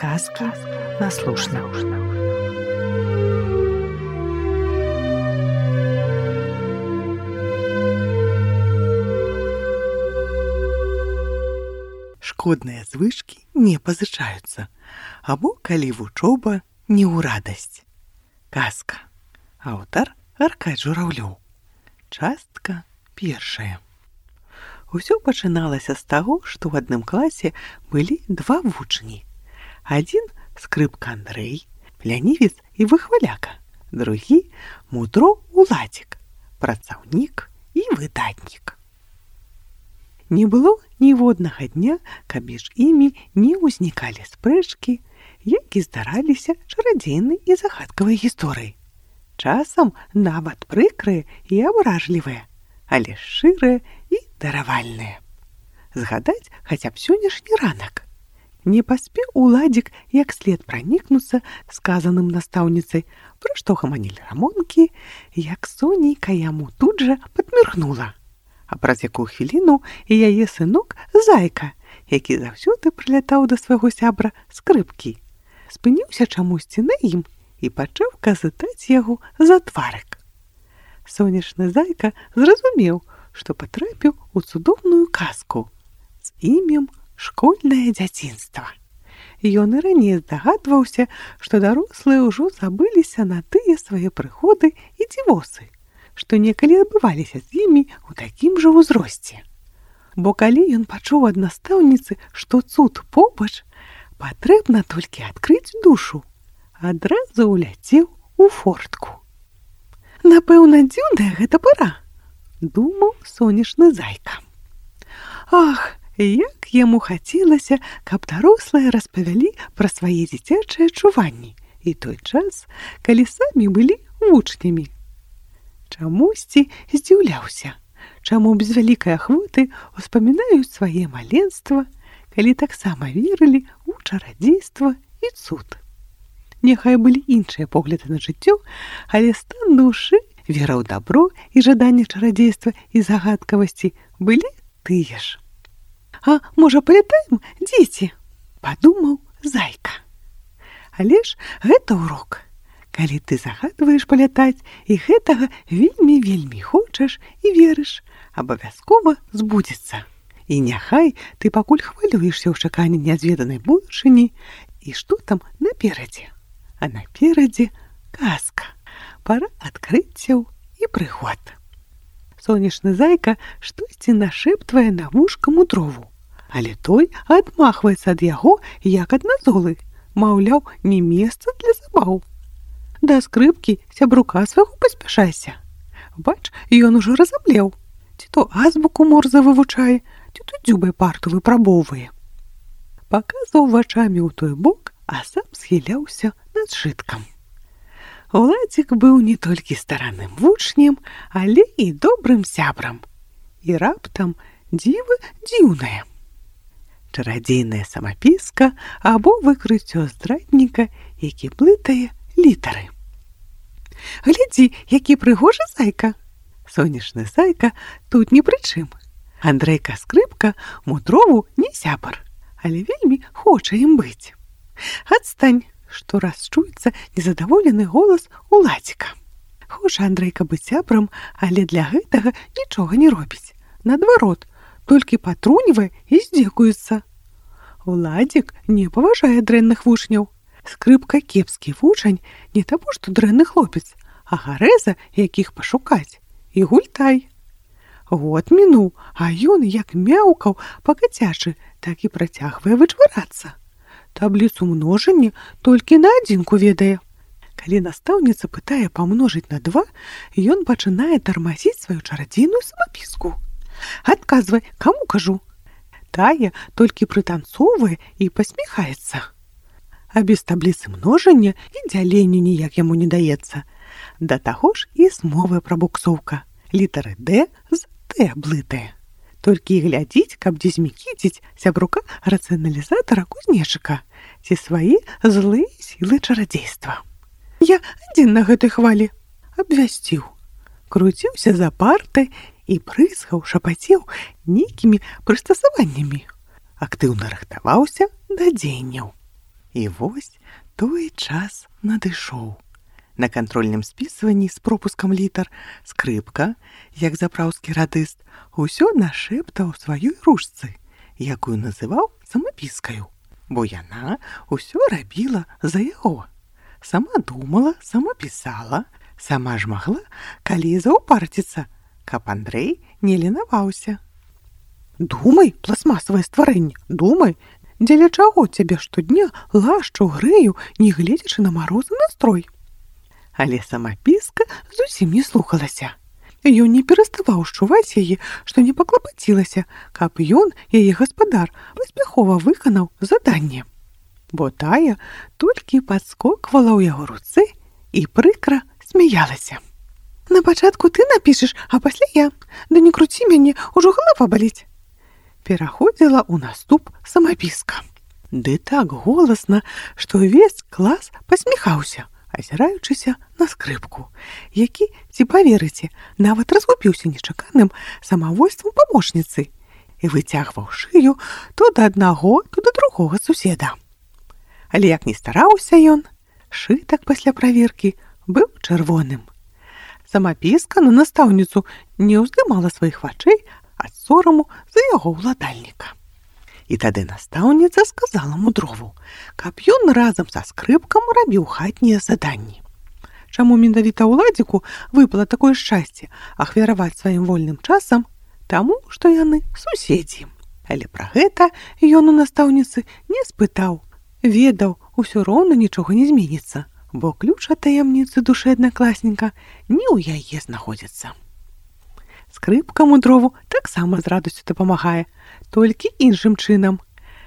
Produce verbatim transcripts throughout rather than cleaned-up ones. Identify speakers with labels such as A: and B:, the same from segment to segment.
A: Сказки на слушна. Шкодныя звычкі не пазычаюцца, або калі вучоба не ў радасць. Казка. Аўтар Аркадзь Журавлёў. Частка першая. Усё пачыналася з таго, што ў адным класе былі два вучні. Адзін скрыпка Андрэй, лянівец і выхваляка, другі мудро Уладзік, працаўнік і выдатнік. Не было ніводнага дня, каб між імі не ўзнікалі спрэчкі, які здараліся чарадзейнай і загадкавай гісторыі. Часам нават прыкрыя і абражлівыя, але шчырыя і даравальныя. Згадаць хаця б сённяшні ранак. Не паспеў Уладзік як след пранікнуцца сказаным настаўніцай, пра што гаманілі рамонкі, як сонейка яму тут жа падміргнула. А праз якую хвіліну і яе сынок Зайка, які заўсёды прылятаў да свайго сябра скрыпкі, спыніўся чамусьці на ім і пачаў казытаць яго за тварык. Сонечны Зайка зразумеў, што патрапіў у цудоўную казку з імем «Школьнае дзяцінства». Ён і раней здагадваўся, што дарослыя ўжо забыліся на тыя свае прыгоды і дзівосы, што некалі адбываліся з імі ў такім жа ўзросце. Бо калі ён пачуў ад настаўніцы, што цуд побач, патрэбна толькі адкрыць душу, адразу ўляцеў у фортку. Напэўна, дзіўная гэта пара, думаў сонечны Зайка. Ах, як яму хацелася, каб дарослыя распавялі пра свае дзіцячыя чуванні і той час, калі самі былі вучнямі. Чамусьці здзіўляўся, чаму без вялікай ахвоты успамінаюць свае маленства, калі таксама верылі ў чарадзейства і цуд. Няхай былі іншыя погляды на жыццё, але стан душы, вера ў дабро і жаданне чарадзейства і загадкавасці былі тыя ж. «А можа, палятаем, дзеці?» – падумаў Зайка. Але ж гэта урок. Калі ты загадваеш палятаць і гэтага вельмі-вельмі хочаш і верыш, абавязкова збудзецца. І няхай ты пакуль хвалюешся ў чаканні нязведанай будучыні і што там наперадзе. А наперадзе казка, пара адкрыццяў і прыгод. Сонечны Зайка штосьці нашэптвае на вушка мудрову, але той адмахваецца ад яго, як ад назолы, маўляў, не месца для забаў. Да скрыпкі сябрука свайго паспяшайся. Бач, ён ужо разаблеў, ці то азбуку морзе вывучае, ці то дзюбай парту выпрабоўвае. Паказаў вачамі ў той бок, а сам схіляўся над сшыткам. Уладзік быў не толькі старанным вучнем, але і добрым сябрам. І раптам дзіва дзіўнае. Чарадзейная самапіска або выкрыццё здрадніка, які блытае літары. Глядзі, які прыгожы Зайка. Сонечны Зайка тут ні пры чым. Андрейка скрыпка мудрову не сябар, але вельмі хоча ім быць. Адстань, што раз чуецца незадаволены голас Уладзіка. Хоча Андрейка быць сябрам, але для гэтага нічога не робіць. Наадварот, толькі патруньвае і здзекуецца. Уладзік не паважае дрэнных вучняў. Скрыпка кепскі вучань не таму, што дрэнны хлопец, а гарэза, якіх пашукаць, і гультай. Год мінуў, а ён як мяўкаў па-кацячы, так і працягвае вычварацца. Табліцу множання толькі на адзінку ведае. Калі настаўніца пытае памножыць на два, ён пачынае тармазіць сваю чарадзейную самапіску. Адказвай, каму кажу. Тая толькі прытанцоўвае і пасміхаецца. А без табліцы множання і дзялення ніяк яму не даецца. Да таго ж і з мовы прабуксоўка. Літары «Д» з «Т» блытае. Толькі і глядзіць, каб дзе змікіціць сябрука рацыяналізатара кузнечыка ці свае злыя сілы чарадзейства. Я адзін на гэтай хвалі абвясціў. Круціўся за партай і прыскаў, шапацеў нейкімі прыстасаваннямі. Актыўна рыхтаваўся да дзеянняў. І вось той час надышоў. На кантрольным спісванні з пропускам літар скрыпка, як запраўскі радыст, усё нашэптаў сваёй ручцы, якую называў самапіскаю, бо яна ўсё рабіла за яго. Сама думала, сама пісала, сама ж магла, калі заўпарціцца, каб Андрэй не ленаваўся. Думай, пластмасавае стварэнне, думай, дзеля чаго цябе штодня лашчу, грэю, не гледзячы на марозы настрой. Але самапіска зусім не слухалася. Ён не пераставаў шчуваць яе, што не паклапацілася, каб ён, яе гаспадар, паспяхова выканаў заданне. Бо тая толькі падскоквала ў яго руцэ і прыкра смяялася. На пачатку ты напішаш, а пасля я. Да не круці мяне, ужо галава баліць. Пераходзіла ў наступ самапіска. Ды так голасна, што ўвесь клас пасміхаўся, азіраючыся на скрыпку, які, ці паверыце, нават разгубіўся нечаканым самавольствам памочніцы і выцягваў шыю то да аднаго, то да другога суседа. Але як не стараўся ён, шытак пасля праверкі быў чырвоным. Самапіска на настаўніцу не ўздымала сваіх вачэй ад сораму за яго ўладальніка. І тады настаўніца сказала мудрову, каб ён разам са скрыпкам рабіў хатнія заданні. Чаму менавіта ўладзіку выпала такое шчасце ахвяраваць сваім вольным часам? Таму, што яны суседзі. Але пра гэта ён у настаўніцы не спытаў. Ведаў, усё роўна нічога не зменіцца, бо ключ ад таямніцы душы аднакласніка не ў яе знаходзіцца. Скрыпка мудрову таксама з радасцю дапамагае, толькі іншым чынам.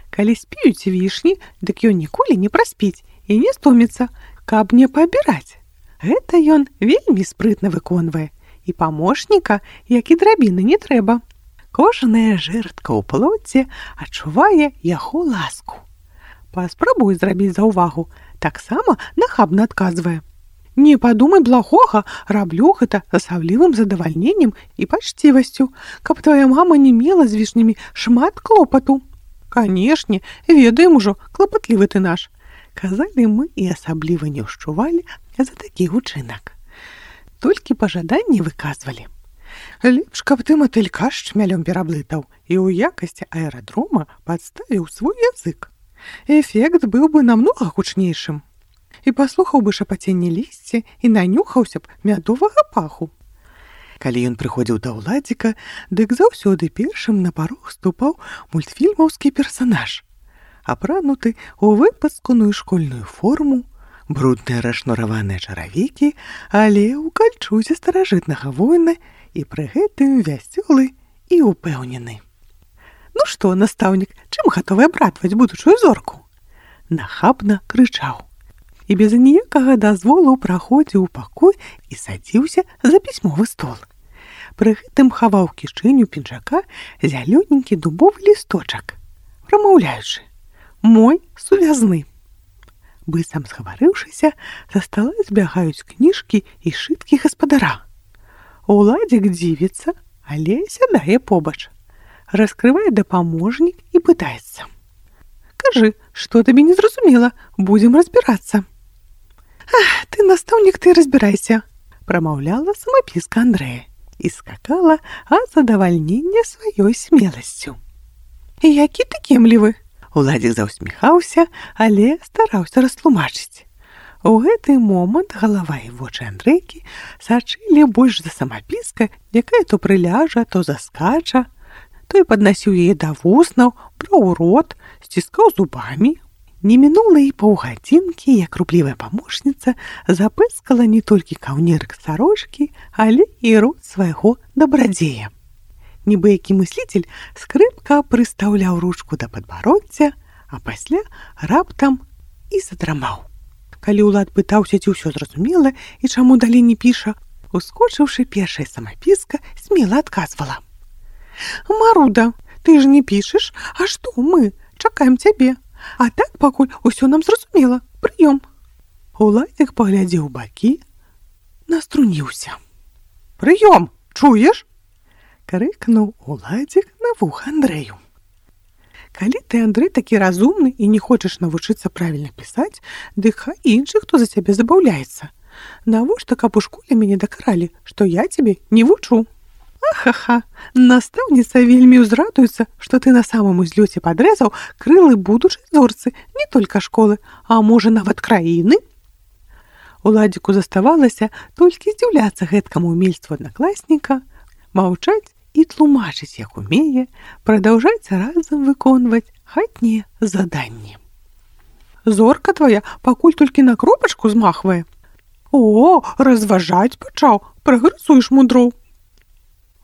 A: Калі спеюць вішні, дык ён ніколі не праспіць і не стоміцца, каб не паабіраць. Гэта ён вельмі спрытна выконвае, і памочніка, як і драбіны, не трэба. Кожная жэрдка ў плоце адчувае яго ласку. Паспрабуй зрабіць заўвагу, таксама нахабна адказвае. Не падумай благога, раблю гэта з асаблівым задавальненнем і пачцівасцю, каб твая мама не мела з вішнямі шмат клопату. Канешне, ведаем ужо, клапатлівы ты наш. Казалі мы і асабліва не ўшчувалі за такі учынак. Толькі пажаданні выказвалі. Лепш, каб ты матылька з чмялём пераблытаў і ў якасці аэрадрома падставіў свой язык. Эфект быў бы намнога гучнейшым. І паслухаў бы шапаценне лісця і нанюхаўся б мядовага паху. Калі ён прыходзіў да ўладзіка, дык заўсёды першым на парог ступаў мультфільмаўскі персанаж, апрануты ў выпасканую школьную форму, брудныя расшнураваныя чаравікі, але ў кальчузе старажытнага воіна і пры гэтым вясёлы і упэўнены. Ну што, настаўнік, чым гатовы абрадаваць будучую зорку? Нахабна крычаў. І без ніякага дазволу праходзіў у пакой і садзіўся за пісьмовы стол. Пры гэтым хаваў кішэню пінжака зялёненькі дубовы лісточак, прамаўляючы: «Мой сувязны». Быццам сгаварыўшыся, за стала збягаюць кніжкі і шыткі гаспадара. Уладзік дзівіцца, але сядае побач. Раскрывае дапаможнік і пытаецца: «Кажы, што табе не зразумела, будзем разбірацца». «Ах, ты, настаўнік, ты разбірайся», – прамаўляла самапіска Андрэя і скакала ад задавальнення сваёй смеласцю. «Які ты кемлівы!» Уладзік заўсміхаўся, але стараўся растлумачыць. У гэты момант галава і вочы Андрэйкі сачылі больш за самапіска, якая то прыляжа, то заскача. Той паднасіў яе да вуснаў, браў у рот, сціскаў зубамі. Не мінула і паўгадзінкі, як руплівая памочніца запэскала не толькі каўнерык сарочкі, але і рот свайго дабрадзея. Нібы які мысліцель, скрыпка прыстаўляў ручку да падбароддзя, а пасля раптам і задрамаў. Калі ўлад пытаўся, ці ўсё зразумела і чаму далей не піша, ускочыўшы, першая самапіска смела адказвала: «Маруда, ты ж не пішаш, а што мы? Чакаем цябе. А так пакуль усё нам зразумела. Прыём». Уладзік паглядзеў бакі, наструніўся. «Прыём, чуеш?» – крыкнуў уладзік на вуха Андрэю. Калі ты, Андрэй, такі разумны і не хочаш навучыцца правільна пісаць, дык хай іншы, хто за цябе забаўляецца. Навошта, каб у школе мяне дакаралі, што я цябе не вучу? Ахаха, настаўніца вельмі ўзрадуецца, што ты на самым узлёце падрэзаў крылы будучай зорцы не толькі школы, а можа нават краіны. Уладзіку заставалася толькі здзіўляцца гэткаму ўмельству аднакласніка, маўчаць і тлумачыць, як умее, прадаўжаць разам выконваць хатнія заданні. Зорка твая пакуль толькі на кропачку змахвае. О, разважаць пачаў, прагрэсуеш мудроў.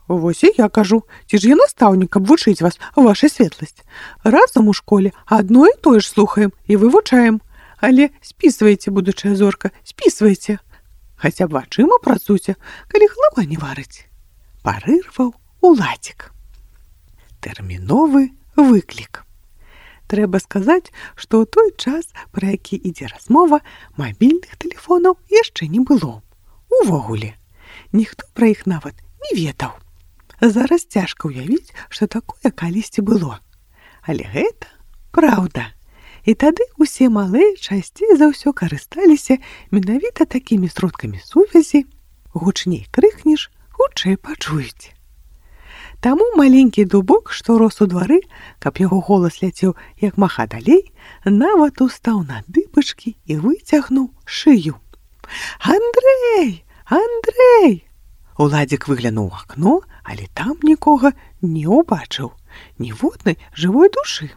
A: Вось і я кажу, ці ж я настаўнік, каб вучыць вас, ваша светласць. Разам у школе адно і тое ж слухаем і вывучаем. Але спісвайце, будучая зорка, спісвайце. Хаця б вачыма працуйце, калі галава не варыць. Парырваў Уладзік. Тэрміновы выклік. Трэба сказаць, што ў той час, пра які ідзе размова, мабільных тэлефонаў яшчэ не было. Увогуле, ніхто пра іх нават не ведаў. Зараз цяжка ўявіць, што такое калісьці было. Але гэта праўда. І тады ўсе малыя часцей за ўсё карысталіся менавіта такімі сродкамі сувязі. Гучней крыкнеш, хутчэй пачуюць. Таму маленькі дубок, што рос у двары, каб яго голас ляцеў як маха далей, нават устаў на дыбачкі і выцягнуў шыю. Андрэй! Андрэй! Уладзік выглянуў у акно, але там нікога не ўбачыў, ніводнай жывой душы.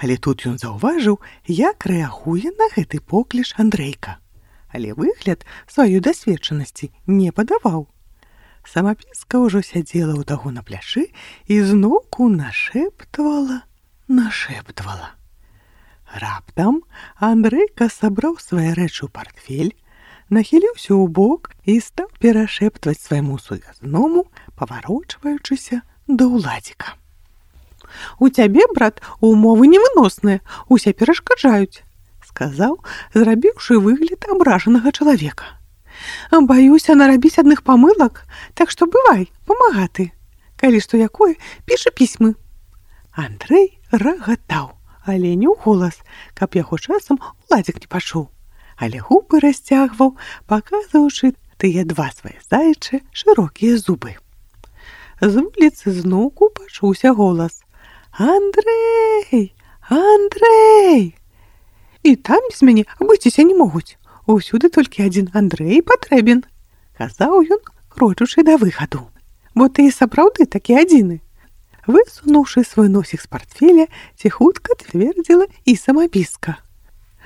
A: Але тут ён заўважыў, як рэагуе на гэты покліч Андрэйка. Але выгляд сваёй дасведчанасці не падаваў. Самапіска ўжо сядзела ў таго на пляшы і зноўку нашэптвала, нашэптвала. Раптам Андрейка сабраў свае рэчы ў партфель, нахіліўся ў бок і стаў перашэптваць свайму сувязному, паварочваючыся да Уладзіка. У цябе, брат, умовы невыносныя, усе перашкаджаюць, сказаў, зрабіўшы выгляд абражанага чалавека. Баюся нарабіць адных памылак, так што бывай, памагаты. Калі што якое, пішы пісьмы. Андрэй рагатаў, але не ў голас, каб яго часам Уладзік не пачуў. Але губы расцягваў, паказваючы тыя два свае заячы шырокія зубы. З вуліцы зноўку пачуўся голас. Андрэй! Андрэй! І там без мяне абысціся не могуць. Усюды толькі адзін Андрэй патрэбен, казаў ён, крочучы да выхаду. Бо ты і сапраўды такі адзіны. Высунуўшы свой носік з партфеля, ціхутка цвердзіла і самапіска.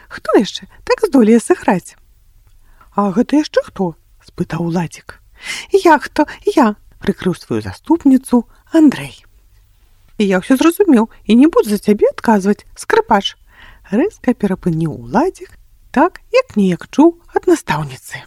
A: Хто яшчэ так здолее сыграць? А гэта яшчэ хто? Спытаў Уладзік. Я хто? Я, прыкрыў сваю заступніцу Андрэй. Я ўсё зразумеў і не буду за цябе адказваць, скрыпач. Рэзка перапыніў Уладзік, так, як неяк чуў ад настаўніцы.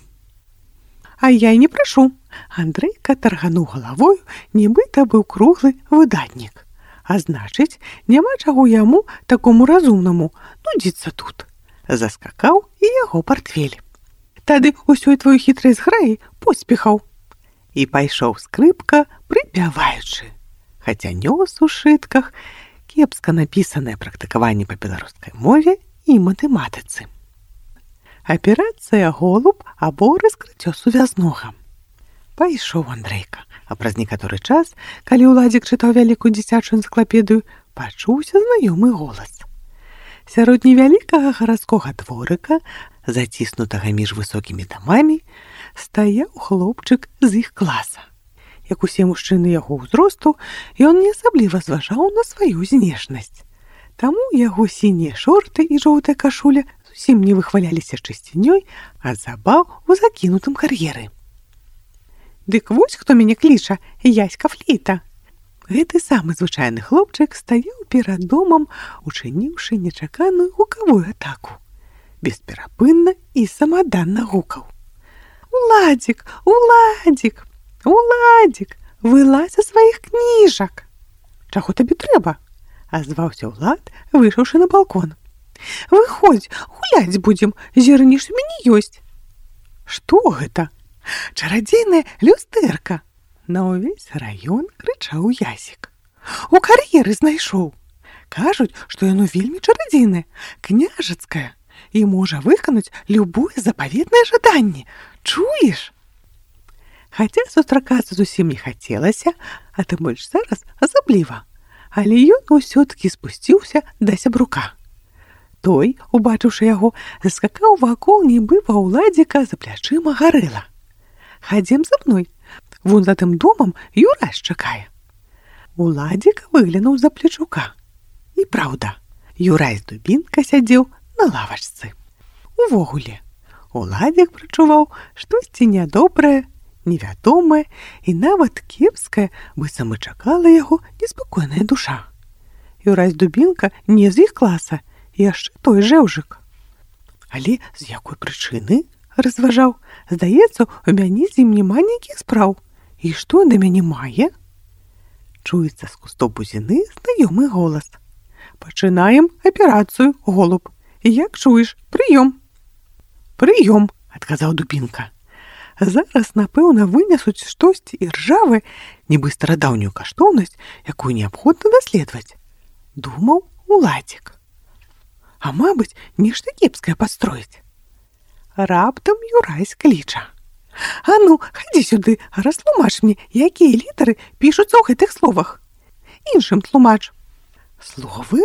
A: А я і не прашу. Андрейка таргануў галавою, нібыта быў круглы выдатнік. А значыць, няма чаго яму, такому разумнаму, нудзіцца тут. Заскакаў і яго партфель. Тады ўсёй твою хітрай зграі поспехаў. І пайшоў скрыпка, прыпяваючы. Хаця нёс у шытках кепска напісанае практыкаванне па беларускай мове і матэматыцы. Аперацыя голуб або раскрыццё сувязнога. Пайшоў Андрейка, а праз некаторы час, калі Уладзік чытаў вялікую дзіцячую энцыклапедыю, пачуўся знаёмы голас. Сярод невялікага гарадскога дворыка, заціснутага між высокімі дамамі, стаяў хлопчык з іх класа. Як усе мужчыны яго ўзросту, ён не асабліва зважаў на сваю знешнасць. Таму яго сінія шорты і жоўтая кашуля зусім не выхваляліся чысцінёй, а забаў у закінутым кар'еры. Дык вось хто мяне кліча, Яська Флейта. Гэты самы звычайны хлопчык стаяў перад домам, учыніўшы нечаканую гукавую атаку. Бесперапынна і самаданна гукаў. Уладзік, Уладзік, Уладзік, вылазь са сваіх кніжак. Чаго табе трэба? Азваўся Улад, выйшаўшы на балкон. Выходзь, гуляць будзем, зірніш у мяне ёсць. Што гэта? Чарадзейная люстэрка. На ўвесь раён крычаў Ясік. У кар'еры знайшоў. Кажуць, што яно вельмі чарадзейнае, княжацкае, і можа выканаць любое запаветнае жаданне. Чуеш? Хаця сустракацца зусім не хацелася, а тым больш зараз асабліва. Але ён усё-такі спусціўся да сябрука. Той, убачыўшы яго, заскакаў вакол, нібы ва ўладзіка за плячыма гарэла. «Хадзем за мной, вон за тым домам Юрась чакае». Уладзік выглянуў за плечука. І праўда, Юрась Дубінка сядзеў на лавачцы. Увогуле, Уладзік прачуваў штосьці нядобрае, невядомае і нават кепскае, быццам і чакала яго неспакойная душа. Юрась Дубінка не з іх класа, яшчэ той жэўжык. Але з якой прычыны, разважаў, здаецца, у мяне з ім няма ніякіх спраў. І што да мяне мае? Чуецца з кустоў бузіны знаёмы голас. «Пачынаем аперацыю, голуб. Як чуеш, прыём». «Прыём», адказаў Дубінка. «Зараз, напэўна, вынясуць штосьці іржавае, нібы старадаўнюю каштоўнасць, якую неабходна даследаваць», — думаў Уладзік. «А мабыць, нешта кепскае падстроіць». Раптам Юрась кліча. «А ну, хадзі сюды, растлумач мне, якія літары пішуцца ў гэтых словах. Іншым тлумач». «Словы?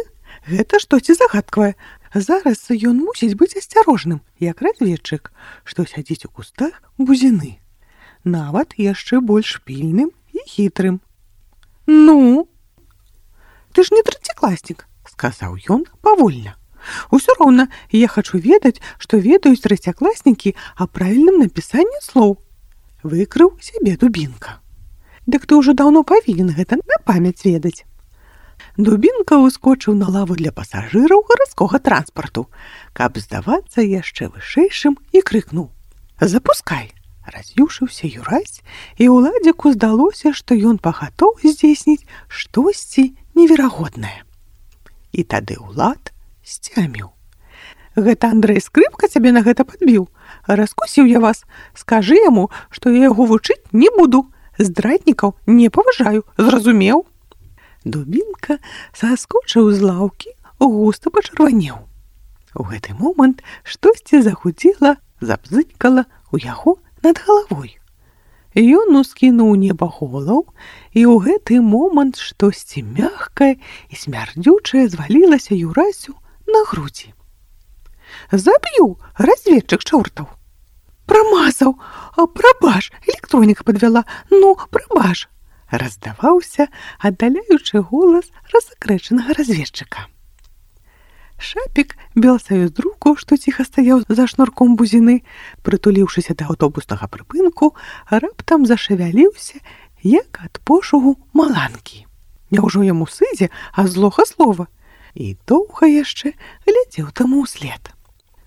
A: Гэта штосьці загадкавае. Зараз ён мусіць быць асцярожным, як разведчык, што сядзіць у кустах бузіны. Нават яшчэ больш пільным і хітрым». «Ну?» «Ты ж не трэцякласнік», — сказаў ён павольна. «Усё роўна, я хачу ведаць, што ведаюць трэцякласнікі аб правільным напісанні слоў». Выкрыў сябе Дубінка. «Дык ты ўжо даўно павінен гэта на памяць ведаць». Дубінка ўскочыў на лаву для пасажыраў гарадскога транспарту, каб здавацца яшчэ вышэйшым, і крыкнуў: «Запускай!» Раз'юшыўся Юрась, і Уладзіку здалося, што ён пагатоў здзейсніць штосьці неверагоднае. І тады Улад сцяміў. «Гэта Андрэй Скрыпка цябе на гэта падбіў? Раскусіў я вас. Скажы яму, што я яго вучыць не буду. Здраднікаў не паважаю, зразумеў?» Дубінка саскочыў з лаўкі, густа пачырванеў. У гэты момант штосьці захудзела, забзыкала ў яго над галавой. Ён ускінуў неба голову, і ў гэты момант штосьці мягкае і смярдзючае звалілася Юрасю на грудзі. «Заб'ю, разведчык чортаў!» «Прамазаў! Прабач, электроніка падвяла! Ну, прабач!» Раздаваўся аддаляючы голас разакрэчанага разведчыка. Шапік белсаюздруку, што ціха стаяў за шнурком бузіны, прытуліўшыся да аўтобуснага прыпынку, раптам зашавяліўся, як ад пошугу маланкі. Няўжо яму сыдзе ад злога слова? І доўга яшчэ глядзеў таму ўслед.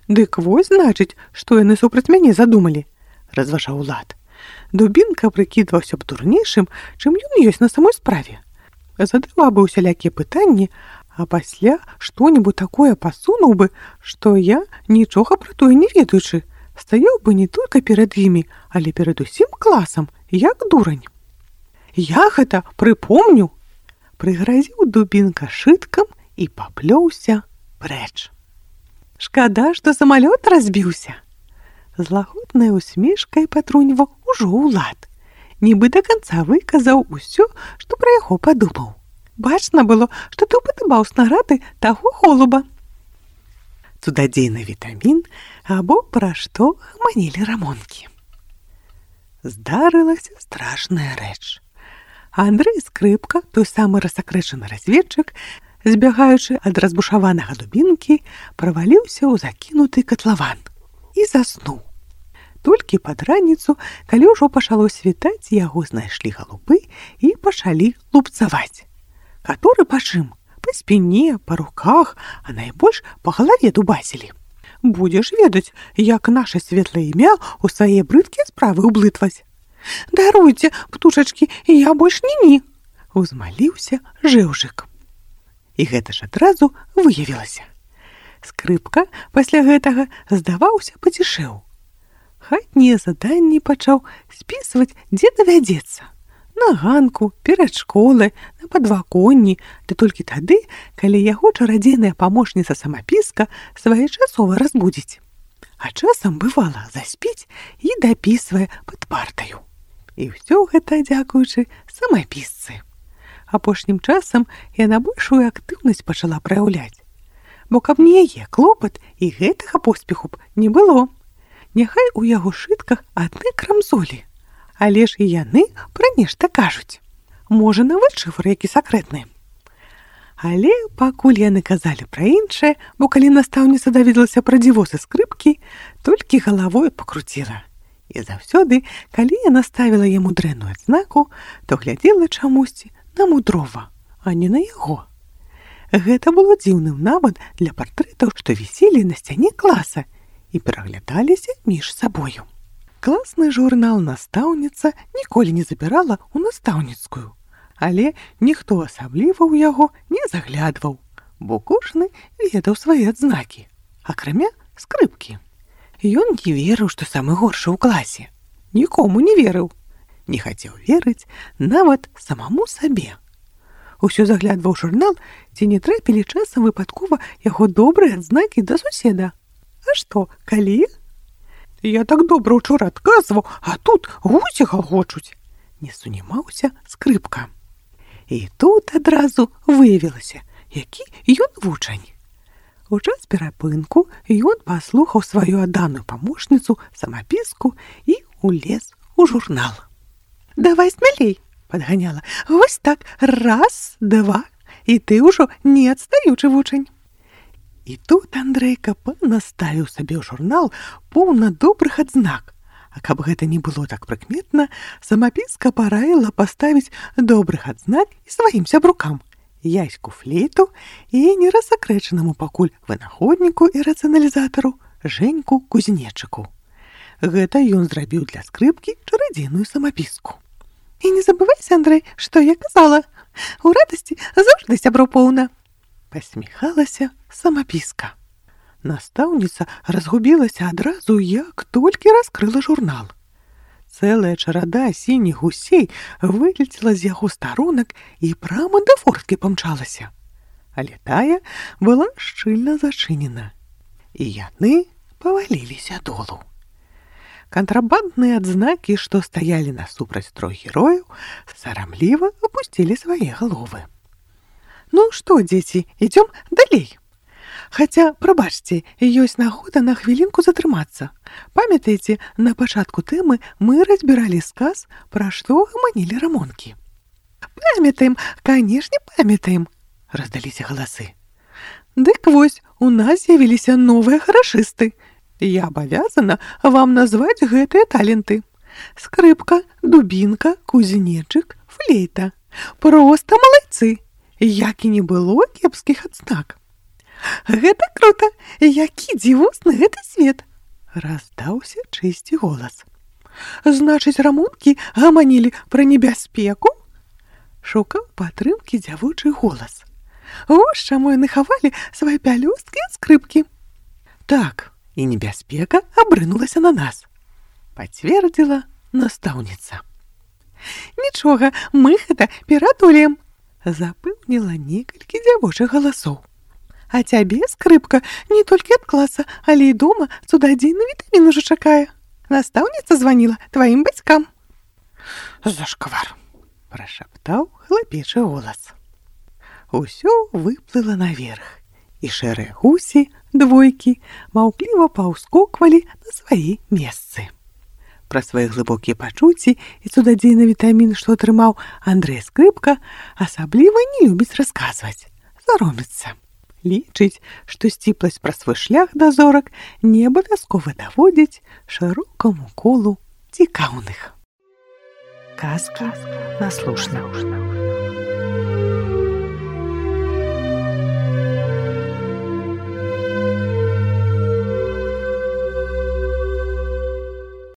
A: «Дык вось, значыць, што яны супраць мяне задумалі», — разважаў Улад. Дубінка прыкідваўся б дурнейшым, чым ён ёсць на самой справе. Задаваў бы усялякія пытанні, а пасля што-небудзь такое пасунуў бы, што я, нічога пра тое не ведаючы, стаяў бы не толькі перад імі, але перад усім класам, як дурань. «Я гэта прыпомню!» — прыгразіў Дубінка шыткам і паплёўся прэч. «Шкада, што самалёт разбіўся!» З лагоднай усмешкай патруньваў ужо Улад. Нібы да канца выказаў усё, што пра яго падумаў. Бачна было, што ты ўпадабаў снарады таго голуба. Цудадзейны вітамін або пра што гаманілі рамонкі. Здарылася страшная рэч. Андрэй Скрыпка, той самы расакрэчаны разведчык, збягаючы ад разбушаванага Дубінкі, праваліўся ў закінуты катлаван і заснуў. Толькі пад раніцу, калі ўжо пачало світаць, яго знайшлі галубы і пачалі лупцаваць. Каторы па чым? Па спіне, па руках, а найбольш па галаве дубасілі. «Будзеш ведаць, як наша светлае імя ў свае брыдкія справы ўблытваць». «Даруйце, птушачкі, я больш не-ні», — узмаліўся жэўжык. І гэта ж адразу выявілася. Скрыпка пасля гэтага, здаваўся, пацішэў. Хатнія заданні пачаў спісваць, дзе давядзецца. на ганку, перад школай, на падваконні, ды толькі тады, калі яго чарадзейная памочніца самапіска своечасова разбудзіць. А часам, бывала, заспіць і дапісвае пад партаю. І ўсё гэта дзякуючы самапісцы. Апошнім часам яна большую актыўнасць пачала праяўляць. Бо каб не яе клопат, і гэтага поспеху б не было. Няхай у яго шытках адны крамзолі, але ж і яны пра нешта кажуць. Можа, нават шыфр які сакрэтны. Але пакуль яны казалі пра іншае, бо калі настаўніца даведалася пра дзівосы скрыпкі, толькі галавой пакруціла. І заўсёды, калі яна ставіла яму дрэнную адзнаку, то глядзела чамусьці на мудрова, а не на яго. Гэта было дзіўным нават для партрэтаў, што віселі на сцяне класа і пераглядаліся між сабою. Класны журнал настаўніца ніколі не забірала ў настаўніцкую, але ніхто асабліва ў яго не заглядваў, бо кожны ведаў свае адзнакі, акрамя скрыпкі. Ён не верыў, што самы горшы ў класе. Нікому не верыў. Не хацеў верыць нават самому сабе. Усё заглядваў журнал, ці не трапілі часам выпадкова яго добрыя адзнакі да суседа. А што, калі? Я так добра ўчора адказваў, а тут гусі галгочуць. Не сунімаўся скрыпка. І тут адразу выявілася, які ён вучань. У час перапынку ён паслухаў сваю адданую памочніцу, самапіску і улез у журнал. «Давай смелей!» — падганяла. «Вось так, раз, два, і ты ўжо не адстаючы вучань». І тут Андрейка панаставіў сабе ў журнал поўна добрых адзнак. А каб гэта не было так прыкметна, самапіска параіла паставіць добрых адзнак і сваім сябрукам. Яську флейту і нерасакрэчанаму пакуль вынаходніку і рацыяналізатару Жэньку кузнечыку. Гэта ён зрабіў для скрыпкі чарадзейную самапіску. І не забывайся, Андрэй, што я казала. У радасці заўжды сяброў поўна. Пасміхалася самапіска. Настаўніца разгубілася адразу, як толькі раскрыла журнал. Цэлая чарада сініх гусей вылецела з яго старонак і прама да форткі памчалася. Але тая была шчыльна зачынена. І яны паваліліся долу. Кантрабандныя адзнакі, што стаялі насупраць трох герояў, сарамліва апусцілі свае галовы. «Ну што, дзеці, ідзём далей?» Хаця, прабачце, ёсць нагода на хвілінку затрымацца. Памятаеце, на пачатку тэмы мы разбіралі сказ, пра што гаманілі рамонкі. «Памятаем, канешне, памятаем!» — раздаліся галасы. «Дык вось, у нас з'явіліся новыя харашысты. Я абавязана вам назваць гэтыя таленты. Скрыпка, дубінка, кузнечык, флейта. Проста малайцы! Як і не было кепскіх адзнак!» «Гэта круто! Які дзівосны гэты свет!» — раздаўся чысці голас. «Значыць, рамонкі гаманілі пра небяспеку?» — шукаў падтрымкі дзявочы голас. «Вось чаму яны хавалі свае пялёсткі ад скрыпкі!» «Так, і небяспека абрынулася на нас!» — пацвердзіла настаўніца. «Нічога, мы гэта перадолеем!» — запэўніла некалькі дзявочых галасоў. «А цябе, скрыпка, не толькі ад класа, але і дома цудадзейны вітамін ужо чакае. Настаўніца званіла тваім бацькам». «Зашквар!» — прашаптаў хлапечы голас. Усё выплыла наверх, і шэрыя гусі, двойкі, маўкліва паўскоквалі на свае месцы. Пра свае глыбокія пачуцці і цудадзейны вітамін, што атрымаў Андрэй Скрыпка, асабліва не любіць расказваць, саромецца. Лічыць, што сціпласць пра свой шлях да зорак не абавязкова даводзіць шырокаму колу цікаўных. Казка наслушна.